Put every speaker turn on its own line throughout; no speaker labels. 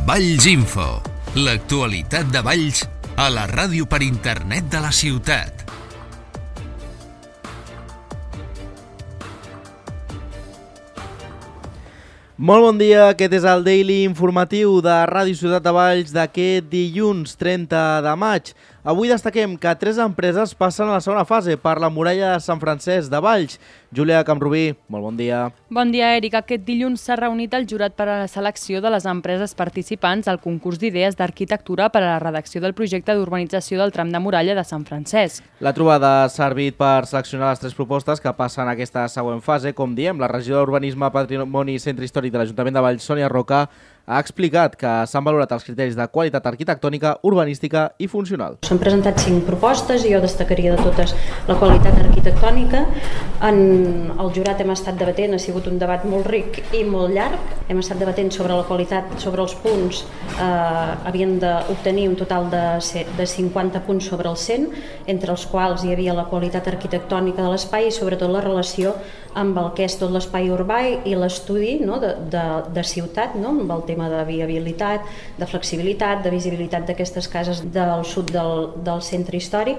Valls Info, l'actualitat de Valls a la ràdio per internet de la ciutat.
Molt bon dia, aquest és el Daily Informatiu de Ràdio Ciutat de Valls d'aquest dilluns 30 de maig. Avui destaquem que 3 empreses passen a la segona fase per la muralla de Sant Francesc de Valls. Júlia Camprubí, molt bon dia.
Bon dia, Eric. Aquest dilluns s'ha reunit el jurat per a la selecció de les empreses participants al concurs d'idees d'arquitectura per a la redacció del projecte d'urbanització del tram de muralla de Sant Francesc.
La trobada ha servit per seleccionar les 3 propostes que passen a aquesta següent fase. Com diem, la regidora d'Urbanisme, Patrimoni i Centre Històric de l'Ajuntament de Valls, Sònia Roca, ha explicat que s'han valorat els criteris de qualitat arquitectònica, urbanística i funcional.
S'han presentat 5 propostes i jo destacaria de totes la qualitat arquitectònica. En el jurat hem estat debatent, ha sigut un debat molt ric i molt llarg. Hem estat debatent sobre la qualitat, sobre els punts. Havien d'obtenir un total de 50 punts sobre el 100, entre els quals hi havia la qualitat arquitectònica de l'espai i sobretot la relació amb el que és tot l'espai urbà i l'estudi, no, de ciutat, no, amb el tema de viabilitat, de flexibilitat, de visibilitat d'aquestes cases del sud del centre històric,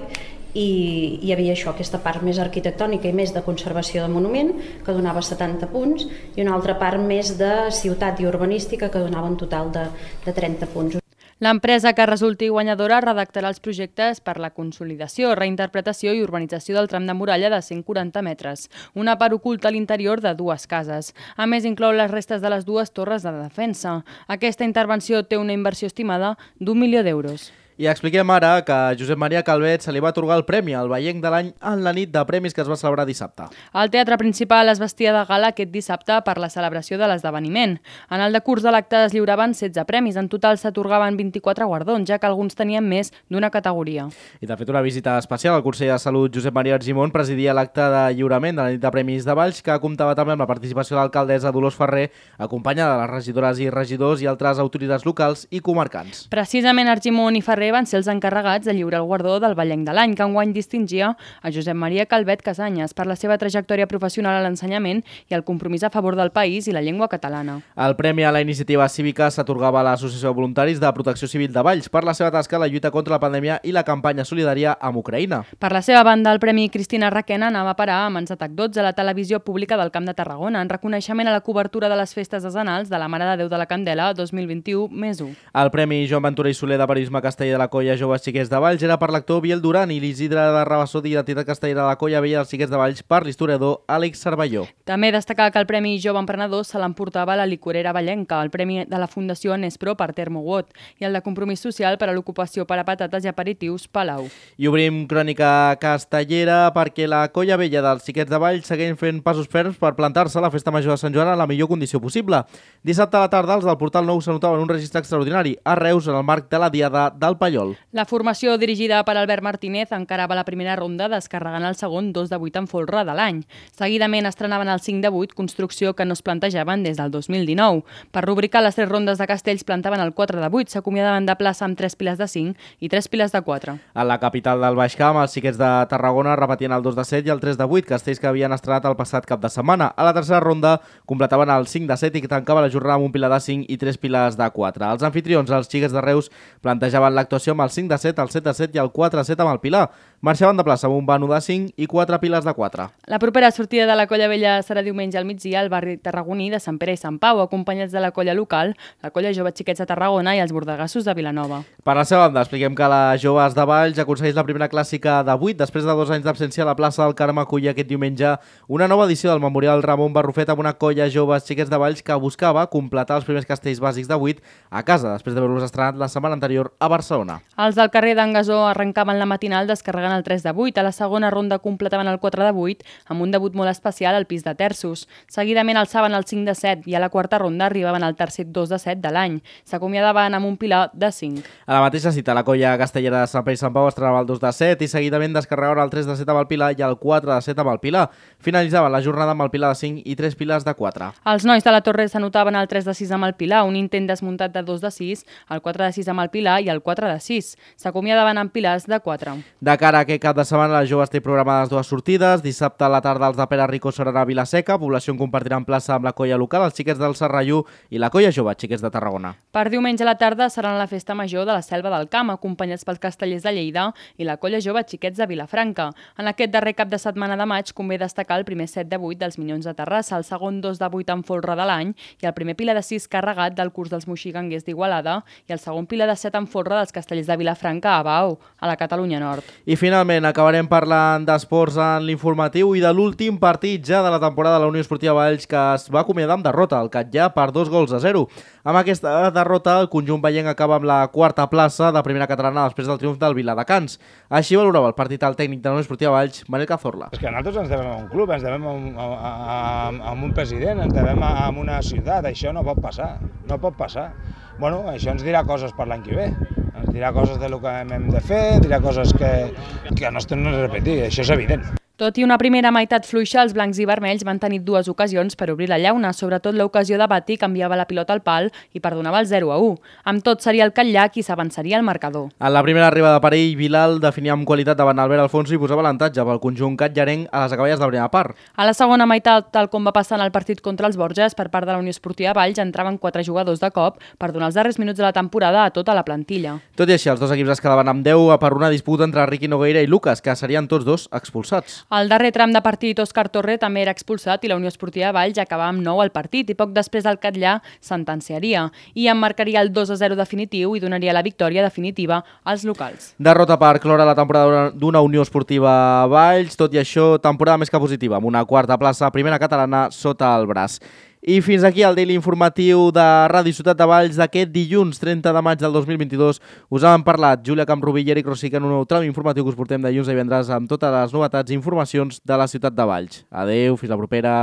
i hi havia això, aquesta part més arquitectònica i més de conservació de monument, que donava 70 punts, i una altra part més de ciutat i urbanística, que donava un total de 30 punts.
L'empresa que resulti guanyadora redactarà els projectes per la consolidació, reinterpretació i urbanització del tram de muralla de 140 metres, una part oculta a l'interior de 2 cases. A més, inclou les restes de les 2 torres de defensa. Aquesta intervenció té una inversió estimada d'1 milió d'euros.
I expliquem ara que a Josep Maria Calvet se li va atorgar el premi al Veienc de l'any en la nit de premis que es va celebrar dissabte.
El teatre principal es vestia de gala aquest dissabte per la celebració de l'esdeveniment. En el decurs de l'acte es lliuraven 16 premis. En total s'atorgaven 24 guardons, ja que alguns tenien més d'una categoria.
I de fet una visita especial al conseller de Salut Josep Maria Argimon presidia l'acte de lliurament de la nit de premis de Valls, que comptava també amb la participació de l'alcaldessa Dolors Ferrer, acompanyada de les regidores i regidors i altres autoritats locals i comarcants.
Precisament Argimon i Ferrer van ser els encarregats de lliurar el guardó del Veienc de l'any, que enguany distingia a Josep Maria Calvet Casanyes per la seva trajectòria professional a l'ensenyament i el compromís a favor del país i la llengua catalana.
El premi a la iniciativa cívica s'atorgava a l'Associació de Voluntaris de Protecció Civil de Valls per la seva tasca a la lluita contra la pandèmia i la campanya solidària amb Ucraïna.
Per la seva banda, el Premi Cristina Requena anava a parar a mans de TAC12 a la televisió pública del Camp de Tarragona, en reconeixement a la cobertura de les festes decenals de la Mare de Déu de la Candela 2021+1.
El Premi Joan Ventura i Soler de Periodisme Castellà de la Colla Joves Xiquets de Valls era per l'actor Biel Duran i l'Isidre de Rabassó d'Identitat Castellera de la Colla Vella dels Xiquets de Valls per l'historiador Àlex Cervelló.
També destacar que el Premi Jove Emprenedor se l'emportava la licorera vallenca, el Premi de la Fundació Nespro per Termowot i el de Compromís Social per a l'ocupació per a patates i aperitius Palau.
I obrim crònica castellera perquè la Colla Vella dels Xiquets de Valls segueix fent passos ferms per plantar-se a la Festa Major de Sant Joan en la millor condició possible. Dissabte a la tarda els del Portal Nou s'anotaven un registre extraordinari a Reus en el marc de la Diada del Pallol.
La formació dirigida per Albert Martínez encarava la primera ronda descarregant el segon 2 de 8 en folre de l'any. Seguidament estrenaven el 5 de 8, construcció que no es plantejaven des del 2019. Per rubricar les 3 rondes de castells plantaven el 4 de 8, s'acomiadaven de plaça amb 3 piles de 5 i 3 piles de 4.
A la capital del Baix Camp, els Xiquets de Tarragona repetien el 2 de 7 i el 3 de 8, castells que havien estrenat el passat cap de setmana. A la tercera ronda completaven el 5 de 7 i que tancava la jornada amb un pilar de 5 i 3 piles de 4. Els anfitrions, els Xiquets de Reus, plantejaven l'actuació amb el 5 de 7, el 7 de 7 i el 4 de 7 amb el Pilar. Marxaven de plaça amb un vano de 5 i 4 piles de 4.
La propera sortida de la Colla Vella serà diumenge al migdia al barri tarragoní de Sant Pere i Sant Pau, acompanyats de la colla local, la Colla Joves Xiquets de Tarragona i els bordegassos de Vilanova.
Per la seva banda, expliquem que la Joves de Valls aconsegueix la primera clàssica de 8 després de 2 anys d'absència a la plaça del Carme acollir aquest diumenge una nova edició del Memorial Ramon Barrufet amb una Colla Joves Xiquets de Valls que buscava completar els primers castells bàsics de 8 a casa després d'haver-los estrenat la setmana anterior a Barcelona.
Els del carrer d'en Gasó arrencaven la matinal descarregant el 3 de 8. A la segona ronda completaven el 4 de 8 amb un debut molt especial al pis de terços. Seguidament alçaven el 5 de 7 i a la quarta ronda arribaven al tercer 2 de 7 de l'any. S'acomiadaven amb un pilar de 5.
A la mateixa cita, la Colla Castellera de Sant Pere i Sant Pau estrenava el 2 de 7 i seguidament descarregaven el 3 de 7 amb el Pilar i el 4 de 7 amb el Pilar. Finalitzaven la jornada amb el Pilar de 5 i 3 pilars de 4.
Els nois de la Torre s'anotaven el 3 de 6 amb el Pilar, un intent desmuntat de 2 de 6, el 4 de 6 amb el Pilar i el 4 de 6. S'acomiadaven amb pilars de 4.
De cara cara a aquest cap de setmana, les joves té programades 2 sortides. Dissabte a la tarda els de Pere Rico seran a Vilaseca, població en compartiran plaça amb la colla local, els xiquets del Serrallú i la colla jove, xiquets de Tarragona.
Per diumenge a la tarda seran a la festa major de la Selva del Camp, acompanyats pels castellers de Lleida i la colla jove xiquets de Vilafranca. En aquest darrer cap de setmana de maig convé destacar el primer 7 de 8 dels Minyons de Terrassa, el segon 2 de 8 en folre de l'any i el primer pila de 6 carregat del curs dels moxiganguers d'Igualada i el segon pila de 7 en folre dels castellers de Vilafranca a Bau, a la Catalunya Nord.
I finalment acabarem parlant d'esports en l'informatiu i de l'últim partit ja de la temporada de la Unió Esportiva Valls, que es va acomiadar amb derrota, el Catllà per 2-0. Amb aquesta derrota el conjunt veient acaba amb la quarta plaça de primera catalana després del triomf del Viladecans. Així valorava el partit el tècnic de la Unió Esportiva Valls, Manel Cazorla.
És que nosaltres ens devem a un club, ens devem a un president, ens devem a una ciutat, això no pot passar, no pot passar. Bueno, això ens dirà coses per l'any que ve, ens dirà coses del que hem de fer, dirà coses que no es tornen a repetir, això és evident.
Tot i una primera meitat fluixa, els blancs i vermells van tenir 2 ocasions per obrir la llauna, sobretot l'ocasió de Bati que enviava la pilota al pal i perdonava el 0-1. Amb tot seria el Catllà qui s'avançaria al marcador.
En la primera arribada per ell, Bilal definia amb qualitat davant Albert Alfonso i posava l'avantatge pel conjunt catllarenc a les acaballes de la primera part.
A la segona meitat, tal com va passar en el partit contra els Borges, per part de la Unió Esportiva Valls entraven 4 jugadors de cop per donar els darrers minuts de la temporada a tota la plantilla.
Tot i així, els dos equips es quedaven amb 10 per una disputa entre Riqui Nogueira i Lucas, que serien tots dos expulsats.
Al darrer tram de partit, Òscar Torre també era expulsat i la Unió Esportiva Valls acabava amb 9 al partit i poc després el Catllà sentenciaria i emmarcaria el 2-0 definitiu i donaria la victòria definitiva als locals.
Derrota per cloure la temporada d'una Unió Esportiva Valls, tot i això, temporada més que positiva, amb una quarta plaça primera catalana sota el braç. I fins aquí el daily informatiu de Ràdio Ciutat de Valls d'aquest dilluns 30 de maig del 2022. Us han parlat Júlia Camprubí i Eric Rosic en un nou tram informatiu que us portem dilluns a divendres amb totes les novetats i informacions de la Ciutat de Valls. Adeu, fins la propera.